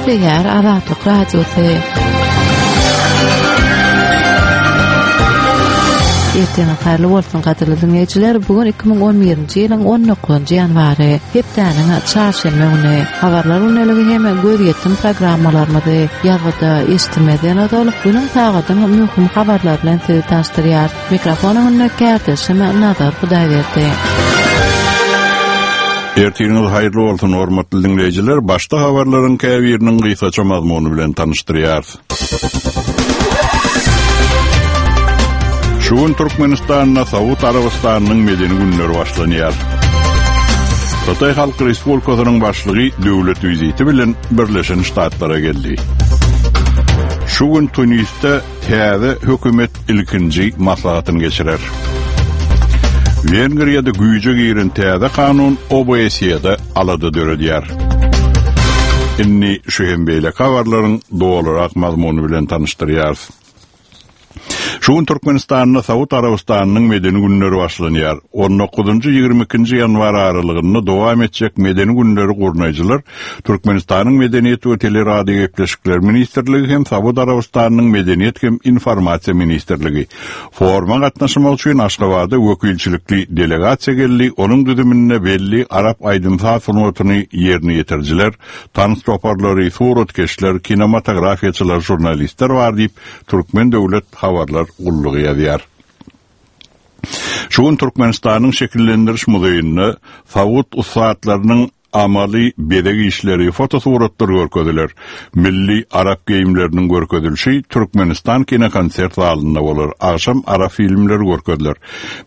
Gepleýär Azatlyk Radiosy. Ertiriňiz haýyrly bolsun gadyrly diňleýjiler. Bu gün 2011-nji ýylyň 19-njy ýanwary, hepdäniň çarşenbe güni. Habarlar gündeligi hem gözýetim programmalarymyzy ýazgyda eşitmezden ozal günüň sagadyň möhüm habarlary bilen sizi tanyşdyrýar. Mikrofon öňünde kärdeşim Nazar Hudaýberdi. Ertiriňiz haýyrly bolsun, hormatly diňleýjiler! Başda habarlaryň käbiriniň gysgaça mazmuny bilen tanyşdyrýarys. Şu gün Türkmenistanda Saud Arabystanynyň medeni günleri başlanýar. Hytaý Halk Respublikasynyň başlygy döwlet wiziti bilen Birleşen Ştatlara geldi. Şu gün Tunisde Täze hökümet ilkinji maslahatyny geçirer. Wengriýada güýje giren täze kanun OBSE-de alada döredýär. Indi şu hem beýleki habarlaryň dolurak mazmuny bilen tanyşdyrýarys. Şu gün Türkmenistanda Saud Arabystanynyň medeni günleri başlanýar. On dokuzynjy, 22-nji ýanwar aralygynda dowam etjek medeni günleri gurnaýjylar Türkmenistanyň Medeniýet we teleradiogepleşikler ministrligi hem Saud Arabystanynyň Medeniýet hem informasiýa ministrligi. Foruma gatnaşmak üçin Aşgabada wekilçilikli delegasiýa geldi, onuň düzüminde belli arap aýdym-saz sungatyny ýerine ýetirijiler, tans toparlary, suratkeşler, kinematografiýaçylar, žurnalistler bar diýip, Türkmen döwlet habarlar gullugy ýazýar. Şu gün Türkmenistanyň Şekillendiriş muzeýinde saud ussatlarynyň Amaly bezeg işleri, fotosuratlar görkeziler. Milli arap geýimleriniň görkezilişi Türkmenistan kinokonsert zalynda bolar. Agşam arap filmleri görkeziler.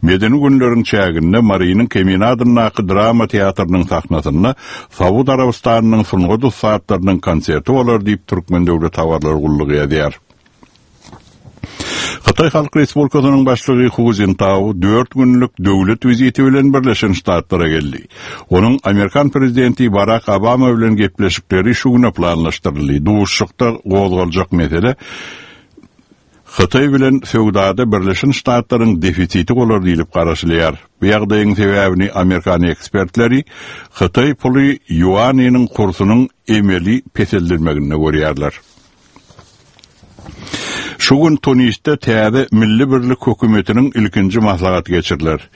Medeni günleriň çäginde Marynyň Kemine adyndaky drama teatrynyň sahnasynda Saud Arabystanynyň sungat ussatlarynyň konserti bolar diýip, Türkmen döwlet habarlar gullugy ýazýar. Hytaý Halk Respublikasynyň başlygy Hu Zintao dört günlük döwlet wiziti bilen Birleşen Ştatlara geldi. Onuň amerikan prezidenti Barak Obama bilen gepleşikleri şu güne planlaşdyryldy. Duşuşykda gozgaljak mesele Hytaý bilen söwdada Birleşen Ştatlaryň defisiti bolar diýlip garaşylýar. Bu ýagdaýyň sebäbini amerikan ekspertleri hytaý puly ýuanynyň kursunyň emeli peseldilmeginde görýärler. Şu gün Tunisde täze Milli birlik hökümetiniň ilkinji maslahaty geçiriler.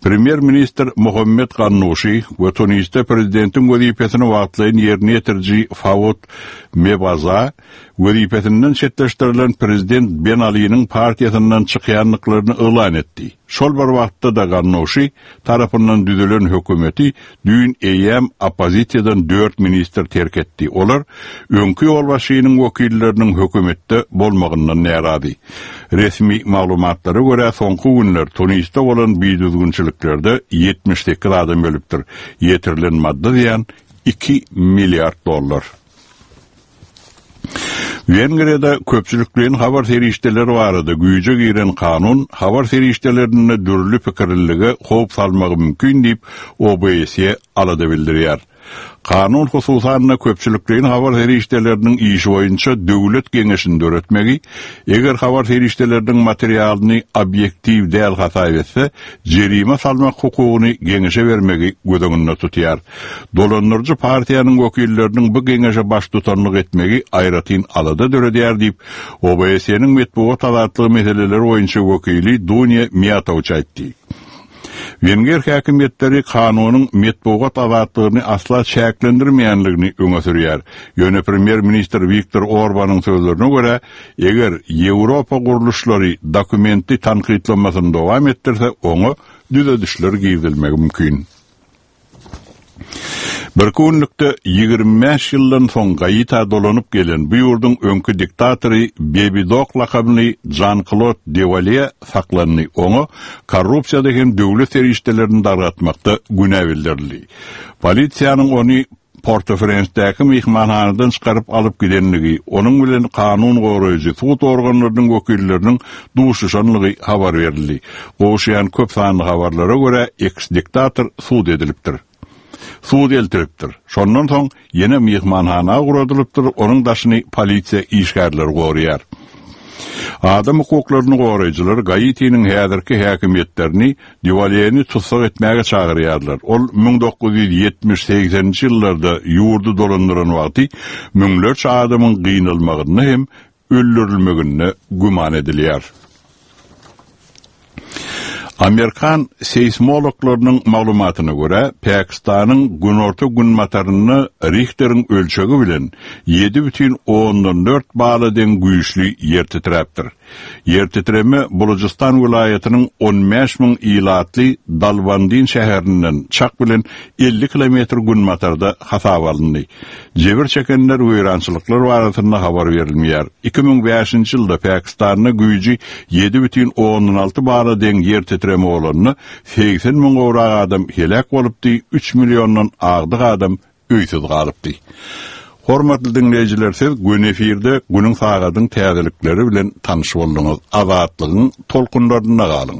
Premýer-ministr Mohammed Gannuşi we Tunisde prezidentiň wezipesini wagtlaýyn ýerine ýetiriji Faud Mebaza wezipesinden çetleşdirilen prezident Ben Aliniň partiýasyndan çykýandyklaryny yglan etdi. Şol bir wagtda-da Gannuşi tarapyndan düzülen hökümeti düýn eýýäm oppozisiýadan dört ministr terk etdi. Olar öňki ýolbaşçynyň wekilleriniň hökümetde bolmagyndan närazy. Resmi maglumatlara görä, soňky günler Tunisde bolan bidüzgünçiliklerde 78 adam ölüpdir. Ýetirilen maddy zyýan iki milliard dollar. Wengriýada köpçülikleýin habar serişdeleri barada güýje giren kanun habar serişdelerinde dürli pikirlilige howp salmagy mümkin diýip, OBSE alada bildirýär. Kanun hususan-da köpçülikleýin habar serişdeleriniň işi boýunça döwlet geňeşini döretmegi, eger habar serişdeleriniň materialyny obýektiw däl hasap etse, jerime salmak hukugyny geňeşe bermegi göz öňünde tutýar. Dolandyryjy partiýanyň wekilleriniň bu geňeşe baştutanlyk etmegi aýratyn alada döredýär diýip, OBSE-niň metbugat azatlygy meseleleri boýunça wekili Dunýa Miýatowiç aýtdy. Wenger häkimiýetleri kanunyň metbugat azatlygyny asla çäklendirmeýänligini öňe sürýär. Ýöne premýer-ministr Wiktor Orbanyň sözlerine görä, eger Ýewropa gurluşlary dokumenti tankytlamasyny dowam etdirse, oňa düzedişler girizilmegi mümkin. Birki günlükde 25 ýyldan soň Gaita dolanyp gelen bu ýurduň öňki diktatory Bebi Dok lakamly Žan-Klod Dewalýe saklandy. Oňa korrupsiýada hem döwlet serişdelerini dargatmakda günä bildirildi. Polisiýanyň ony Port-au-Prensdäki myhmanhanadan çykaryp alyp gidenligi, onuň bilen kanun goraýjy, sud organlarynyň wekilleriniň duşuşanlygy habar berildi. Gowuşýan köp sanly habarlara görä, eks-diktator sud edilipdir. Sud eltilipdir. Şondan soň ýene myhmanhana ugradylypdyr, onuň daşyny polisiýa işgärleri goraýar. Adam hukuklaryny goraýjylar Gaitiniň häzirki häkimiýetlerini Dýuwalýeni tussag etmäge çagyrýarlar. Ol 1970-segseninji ýyllarda ýurdy dolandyran wagty müňlerçe adamyň gynalmagynda hem öldürilmeginde güman edilýär. Amerikan seýsmologlarynyň maglumatyna görä, Pakistanyň günorta-günbatarynda Rihteriň ölçegi bilen 7,4 bala deň güýçli ýer titräpdir. Ýer titreme Bulujystan welaýatynyň 15 müň ilatly Dalbandin şäherinden çak bilen 50 kilometr günbatarda hasaba alyndy. Jebir çekenler, weýrançylyklar barasynda habar berilmeýär. 2005-nji ýylda Pakistanda güýji 7,6 bala deň ýer titreme bolanda, 80 müň gowrak adam heläk bolupdy, üç milliondan agdyk adam öýsüz galypdy. Hormatly diňleýjiler, siz göni efirde günüň sagadyň täzelikleri bilen tanyş bolduňyz. Azatlygyň tolkunlarynda galyň!